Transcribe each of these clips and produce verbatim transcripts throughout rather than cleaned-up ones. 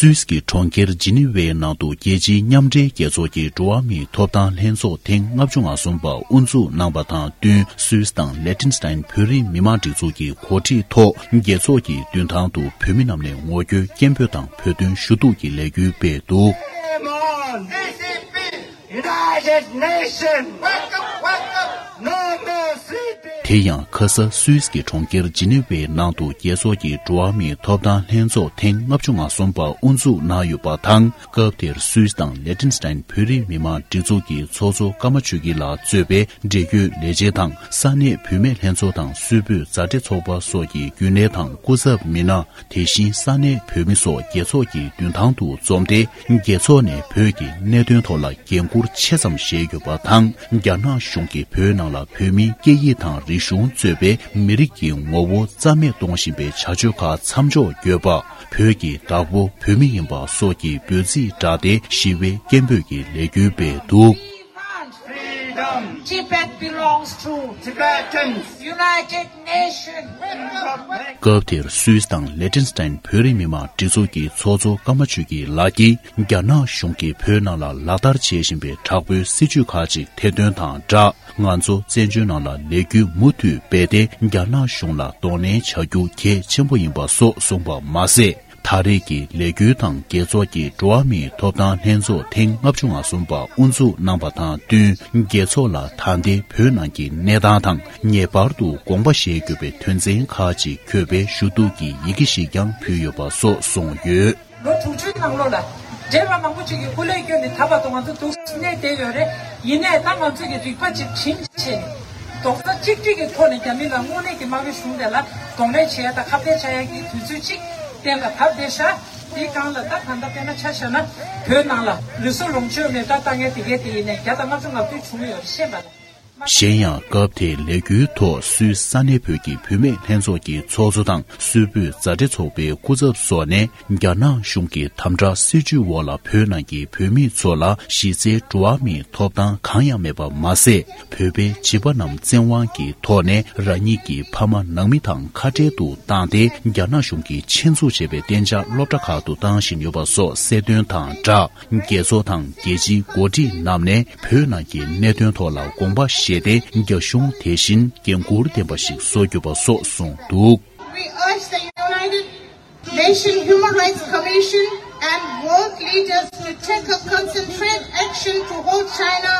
སུད་སི་གི་གྲོང་ཁྱེར་ཇི་ནི་ཝའི་ནང་དུ་རྒྱལ་སྤྱིའི་མཉམ་འབྲེལ་རྒྱལ་ཚོགས་ཀྱི་འགྲོ་བ་མིའི་ཐོབ་ཐང་ལྷན་ཚོགས་ཐེངས་ལྔ་བཅུ་ང་གསུམ་པ་དབུ་འཛུགས་གནང་བ་དང་བསྟུན། སུད་སི་དང་ལེ་ཏིན་སི་ཏན་བོད་རིགས་མི་མང་སྒྲིག་འཛུགས་ཀྱི་གོ་སྒྲིག་ཐོག་རྒྱལ་ཚོགས་ཀྱི་མདུན་ཐང་དུ་བོད་མི་རྣམས་ནས་ངོ་རྒོལ་སྐད་འབོད་དང་བོད་དོན་ཞུ་གཏུག་གི་ལས་འགུལ་སྤེལ་འདུག། United Nation! Welcome, welcome! No more sleeping! དེ་ཡང་ཁ་ས་སུད་སི་གི་གྲོང་ཁྱེར་ཇི་ནི་ཝའི་ནང་དུ་རྒྱལ་ཚོགས་ཀྱི་འགྲོ་བ་མིའི་ཐོབ་ཐང་ལྷན་ཚོགས་ཐེངས་ལྔ་བཅུ་ང་གསུམ་པ་དབུ་འཛུགས་གནང་ཡོད་པ་དང་། སྐབས་དེར་སུད་སི་དང་ལེ་ཏིན་སི་ཏན་བོད་རིགས་མི་མང་སྒྲིག་འཛུགས་ཀྱི་ཚོགས་གཙོ་ཀརྨ་ཆོས་སྐྱིད་ལགས་གཙོས་པའི་འབྲེལ་ཡོད་ལས་བྱེད་དང་ས་གནས་བུད་མེད་ལྷན་ཚོགས་དང་སུད་བོད་མཛའ་འབྲེལ་ཚོགས་པ་སོགས་ཀྱི་རྒྱུན་ལས་དང་སྐུ་ཚབ་མི་སྣ། དེ་བཞིན་ས་གནས་བོད་མི་སོགས་རྒྱལ་ཚོགས་ཀྱི་མདུན་ཐང་དུ་འཛོམས་ཏེ། རྒྱལ་ཚོགས་ནས་བོད་ཀྱི་གནད་དོན་ཐོག་ལ་འགན་འཁུར་ཆེ་ཙམ་བཞེས་ཡོད་པ་དང་། རྒྱ་ནག་གཞུང་གིས་བོད་ནང་ལ་བོད་མིའི་སྐད་ཡིག་དང་རིག་གཞུང་གཙོས་པའི་མི་རིགས་ཀྱི་ངོ་བོ་རྩ་མེད་གཏོང་བཞིན་པའི་བྱ་སྤྱོད་ཁག་མཚམས་འཇོག་དགོས་པ། བོད་ཀྱི་བདག་པོ་བོད་མི་ཡིན་པ་སོགས་ཀྱི་འབོད་ཚིག་བསྒྲགས་ཏེ་ཞི་བའི་སྐད་འབོད་ཀྱི་ལས་འགུལ་སྤེལ་འདུག། Freedom! Tibet belongs to Tibetans! United Nation! སྐབས་དེར་སུད་སི་དང་ལེ་ཏིན་སི་ཏན་བོད་རིགས་མི་མང་སྒྲིག་འཛུགས་ཀྱི་ཚོགས་གཙོ་ཀརྨ་ཆོས་སྐྱིད་ལགས་ཀྱིས། རྒྱ་ནག་གཞུང་གིས་བོད་ནང་ལ་ལག་བསྟར་བྱེད་བཞིན་པའི་དྲག་པོའི་སྲིད་བྱུས་ཁག་ཅིག་ཐེར་འདོན་དང་སྦྲགས། ང་ཚོ་བཙན་བྱོལ་ནང་ལ་ལས་འགུལ་མུ་མཐུད་སྤེལ་ཏེ། རྒྱ་ནག་གཞུང་ལ་གདོང་ལེན་བྱ་རྒྱུ་གལ་ཆེན་པོ་ཡིན་པ་སོགས་གསུངས་པ་མ་ཟད། ད་རེས་ཀྱི་ལས་འགུལ་དང་རྒྱལ་ཚོགས་ཀྱི་འགྲོ་བ་མིའི་ཐོབ་ཐང་ལྷན་ཚོགས་ཐེངས་ལྔ་བཅུ་ང་གསུམ་པ་དབུ་འཛུགས་གནང་བ་དང་བསྟུན། རྒྱལ་ཚོགས་ལ་ད་ལྟའི་བོད་ནང་གི་གནས་སྟངས་དང་ངེས་པར་དུ་དགོངས་པ་བཞེས་དགོས་པའི་དོན་ཚན་ཁག་ཅིག་འཁོད་པའི་ཞུ་གཏུག་གི་ཡི་གེ་ཞིག་ཀྱང་ཕུལ་ཡོད་པ་སོགས་གསུངས་ཡོད། ལོ་དྲུག་ཅུའི་ནང་ལོགས་ལ། བགྲེས་པ་མང་པོ་ཅིག་གིས་སྐུ་ལས་བསྐྱོན་ནས་ད་བར་དུ་ང་ཚོ་འདུག་གནས་བསྡད་ཡོད་རེད། ཡིན་ནའི་ད་ང་ཚོས་ཀྱི་རིག་པ་ཅིག་བྱིངས་བྱས་ནས། རྡོག་རྩ་གཅིག་སྒྲིལ་གྱི་ཐོག་ནས་རྒྱ་མི་ལ་དངོས་གནས་ཀྱི་དམར་པོའི་གཞུང་དེ་ལ་གདོང་ལེན་བྱེད་ཡ་དང་ཁ་གཏད་བཅག་ཡ་གི་དུས་ཚོད་ཅིག་གཏན་ལ་བབས་བསྡད་ཤག་དེའི་སྒང་ལ་ད་ད་ལྟ་དཔེར་ན་ཆ་བཞག་ན། བོད་ནང་ལ་ལུས་སྲོག་ལོངས་སྤྱོད་མེ་མདའ་བཏང་མཁན་དེ་གའི་དེ་ཡིན་ནའི་བརྒྱ་དང་ལྔ་བཅུ་ང་བདུན་བྱུང་ཡོད་རེད། ཤེས་པ་ལ། གཞན་ཡང་། སྐབས་དེའི་ལས་འགུལ་ཐོག་སུད་སི་ས་གནས་བོད་ཀྱི་བུད་མེད་ལྷན་ཚོགས་ཀྱི་ཚོགས་གཙོ་དང་སུད་བོད་མཛའ་འབྲེལ་ཚོགས་པའི་སྐུ་ཚབ་སོགས་ནས། རྒྱ་ནག་གཞུང་གི་དམ་དྲག་སྲིད་བྱུས་འོག་ལ་བོད་ནང་གི་བོད་མི་ཚོ་ལ་གཞི་རྩའི་འགྲོ་བ་མིའི་ཐོབ་ཐང་གང་ཡང་མེད་པ་མ་ཟད། བོད་པའི་བྱིས་པ་རྣམས་བཙན་དབང་གི་ཐོག་ནས་རང་ཉིད་ཀྱི་ཕ་མ་ནང་མི་དང་ཁ་བྲལ་དུ་བཏང་སྟེ། རྒྱ་ནག་གཞུང་གིས་ཆེད་འཛུགས་བྱས་པའི་གཏན་འཇགས་སློབ་གྲྭ་ཁག་ཏུ་བཏང་བཞིན་ཡོད་པ་སོགས་གསལ་སྟོན་དང་སྦྲགས། རྒྱལ་ཚོགས་དང་རྒྱལ་སྤྱིའི་འགོ་ཁྲིད་རྣམས་ནས་བོད་ནང་གི་གནད་དོན་ཐོག་ལ་དགོངས་པ་བཞེས་ཏེ། རྒྱ་གཞུང་དེ་བཞིན་འགན་འཁུར་ལྡན་པ་ཞིག་བཟོ་དགོས་པ་སོགས་གསུངས་འདུག། We urge the United Nations Human Rights Commission and world leaders to take a concentrated action to hold China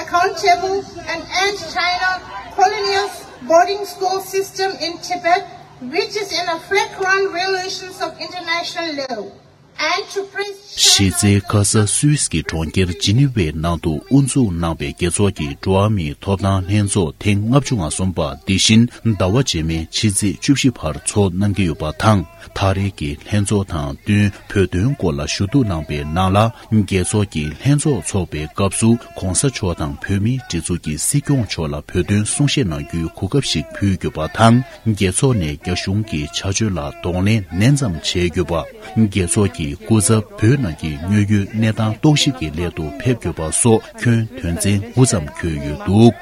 accountable and end China colonial boarding school system in Tibet, which is in a flagrant violation of international law. གཞི་རྩའི་ཁ་ས་སུད་སི་གི་གྲོང་ཁྱེར་ཇི་ནི་ཝའི་ནང་དུ་དབུ་འཛུགས་གནང་བའི་རྒྱལ་ཚོགས་ཀྱི་འགྲོ་བ་མིའི་ཐོབ་ཐང་ལྷན་ཚོགས་ཐེངས་ལྔ་བཅུ་ང་གསུམ་པ་འདི་བཞིན་ཟླ་བ་རྗེས་མའི་ཕྱི་ཚེས་བཅུ་བཞི་བར་ཚོགས་གནང་གི་ཡོད་པ་དང་། ད་རེས་ཀྱི་ལྷན་ཚོགས་དང་བསྟུན་བོད་དོན་སྐོར་ལ་ཞུ་གཏུག་གནང་པའི་ནང་ལ། རྒྱལ་ཚོགས་ཀྱི་ལྷན་ཚོགས་འཚོགས་པའི་སྐབས་སུ་༸གོང་ས་མཆོག་དང་བོད་མིའི་སྒྲིག་འཛུགས་ཀྱི་སྲིད་སྐྱོང་མཆོག་ལ་བོད་དོན་གསུང་བཤད་གནང་རྒྱུའི་གོ་སྐབས་ཤིག་ཕུལ་དགོས་པ་དང་། རྒྱལ་ཚོགས་ནས་རྒྱ་གཞུང་གི་བྱ་སྤྱོད་ལ་གདོང་ལེན་ནན་ཙམ་བྱེད་དགོས་པ། རྒྱལ་ཚོགས་ཀྱི་སྐུ་ཚབ་བོད་ནང་གི་དངོས་ཡོད་གནས་སྟངས་རྟོག་ཞིབ་ཀྱི་སླད་དུ་ཕེབས་དགོས་པ་སོགས་ཁྱོན་དོན་ཚན་དགུ་ཙམ་འཁོད་ཡོད་འདུག།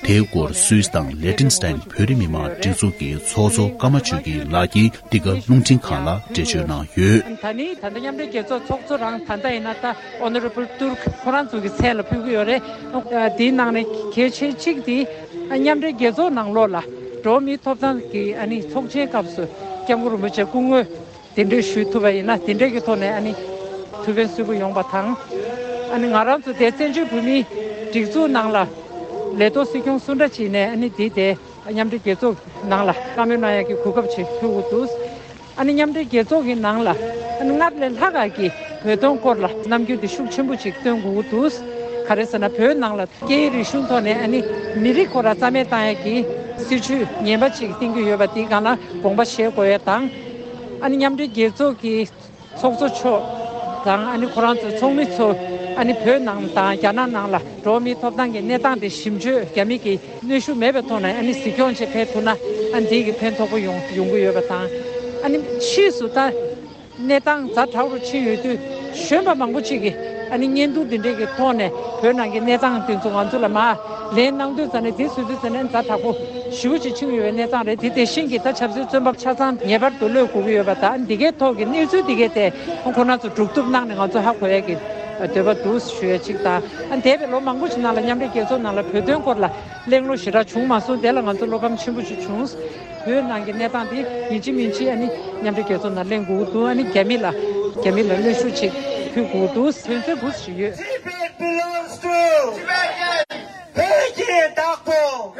དེའི་སྐོར་སུད་སི་དང་ལེ་ཏིན་སི་ཏན་བོད་རིགས་མི་མང་སྒྲིག་འཛུགས་ཀྱི་ཚོགས་གཙོ་ཀརྨ་ཆོས་སྐྱིད་ལགས་ཀྱིས་འདི་ག་རླུང་འཕྲིན་ཁང་ལ་འགྲེལ་བརྗོད་གནང་ཡོད། ད་ནི་ད་ལྟ་མཉམ་འབྲེལ་རྒྱལ་ཚོགས་ཚོགས་གཙོ་རང་ད་ལྟ་ཡིན་ན་ད་ཨོ་ནོ་རེ་བལ་ཏུར་ཁོ་རང་ཚོ་གི་མཚན་ལ་ཕུལ་གྱི་ཡོད་རེད། དེའི་ནང་ནས་གལ་ཆེ་གཅིག་དེ་མཉམ་འབྲེལ་རྒྱལ་ཚོགས་ནང་ལོགས་ལ་འགྲོ་བ་མིའི་ཐོབ་ཐང་གི་ཨ་ནི་ཚོགས་ཆེན་སྐབས་སུ་སྐྱབས་མགོན་རིན་པོ་ཆེ་སྐུ་ངོ་གདན་འདྲེན་ཞུ་ཐུབ་པ་ཡིན་ན། དེ་འདྲའི་གི་ཐོག་ནས་ཨ་ནི་ཐུགས་ཕན་གསོས་པོ་ཡོང་བ་དང་། ཨ་ནི་ང་རང་ཚོ་དེ་བཙན་བྱོལ་བོད་མིའི་སྒྲིག་འཛུགས་ནང་ལ་ལས་ཐོག་སྲིད་སྐྱོང་སུ་འདྲ་བྱས་ནས་ཨ་ནི་དེ་དེ་མཉམ་འབྲེལ་རྒྱལ་ཚོགས་ནང་ལ་བཀའ་མོལ་གནང་ཡག་གི་གོ་སྐབས་ཅིག་ཐོབ་ཀྱི་འདུག། ཨ་ནི་མཉམ་འབྲེལ་རྒྱལ་ཚོགས་ཀྱི་ནང་ལ་ཨ་ནི་སྔར་ལས་ལྷག་ག་གི་བོད་དོན་སྐོར་ལ་རྣམ་འགྱུར་དེ་ཤུགས་ཆེན་པོ་ཅིག་སྟོན་དགོས་ཀྱི་འདུག། ག་རེ་ཟེར་ན་བོད་ནང་ལ་སྐད་ཡིག་རིག་གཞུང་ཐོག་ནས་ཨ་ནི་མི་རིགས་ཁོ་རང་རྩ་མེད་བཏང་ཡག་གི་སྲིད་བྱུས་ངན་པ་ཅིག་བཏིང་གི་ཡོད་པ་དེའི་སྒང་ལ་དགོངས་པ་བཞེས་དགོས་ཡ་དང་། ཨ་ནི་མཉམ་འབྲེལ་རྒྱལ་ཚོགས་ཀྱི་ཚོགས་གཙོ་མཆོག་དང་ཨ་ནི་ཁོ་རང་ཚོའི་ཚོགས་མི་ཚོ་ཨ་ནི་བོད་ནང་དང་རྒྱ་ནག་ནང་ལ་འགྲོ་བ་མིའི་ཐོབ་ཐང་གི་གནས་སྟངས་དེ་ཞིབ་འཇུག་རྒྱ་མི་གི་གནོན་ཤུགས་མེད་པའི་ཐོག་ནས་ཨ་ནི་གཟིགས་སྐྱོང་བྱེད་ཕེབས་ཐུབ་ན་ཨ་ནི་དེ་གི་ཕན་ཐོགས་པོ་ཡོང་ཡོང་གི་ཡོད་པ་དང་། ཨ་ནི་ཕྱིས་སུ་ད་གནས་སྟངས་ཛ་དྲག་རུ་ཕྱིན་ཡོད་དུས་གཞོན་པ་མང་པོ་ཅིག་གིས་ ཨ་ནི་བརྙན་ཐུང་འདི་འདྲས་ཀྱི་ཐོག་ནས་བོད་ནང་གི་གནས་སྟངས་དེ་ཚོ་ང་ཚོ་ལ་མར་ལན་གནང་དུས་ཙམ་ནས་དེ་བཟོ་དུས་ཙམ་ནས་ཛ་དྲག་པོ་ཞེ་པོ་ཅིག་ཕྱིན་ཡོད་པའི་གནས་སྟངས་རེད། དེ་དེ་བཞིན་གྱི་ད་ཆབ་སྲིད་བཙོན་པ་ཆ་ཚང་ངེས་པར་དུ་གློད་དགོས་ཀྱི་ཡོད་པ་དང་། འདི་གའི་ཐོག་གི་གནས་ཚུལ་འདི་གའི་ཐད་ཁོང་ཁོ་རང་ཚོ་སྒྲུབ་ཐུབ་གནང་ནས་ང་ཚོ་ཧ་གོ་ཡ་གི་འདོད་པ་འདུག་ཞུ་ཡ་གཅིག་དང་། ཨ་འདས་པའི་ལོ་མང་པོ་ཞིག་ནང་ལ་མཉམ་འབྲེལ་རྒྱལ་ཚོགས་ནང་ལ་བོད་དོན་སྐོར་ལ་གླེང་སློང་ཞེ་དྲག་བྱུང་མ་སོང་། དེ་ལ་ང་ཚོ་བློ་ཕམ་ཆེན་པོ་ཞིག་བྱུང་། བོད་ནང་གི་གནས་སྟངས་འདི་ཡིན་གཅིག་མིན་གཅིག་ཨ་ནི་མཉམ་འབྲེལ་རྒྱལ་ཚོགས་ནང་གླེང་དགོས་ཀྱི་འདུག་ཨ་ནི་རྒྱ་མི་ལ་རྒྱ་མི་ལ་གནོན་ཤུགས་ཅིག་ཕུལ་དགོས་ཀྱི་འདུག་དོན་ཚན་དགུ་ཞིག་ཡོད། Tibet belongs to Tibetan. བོད་ཀྱི་བདག་པོ།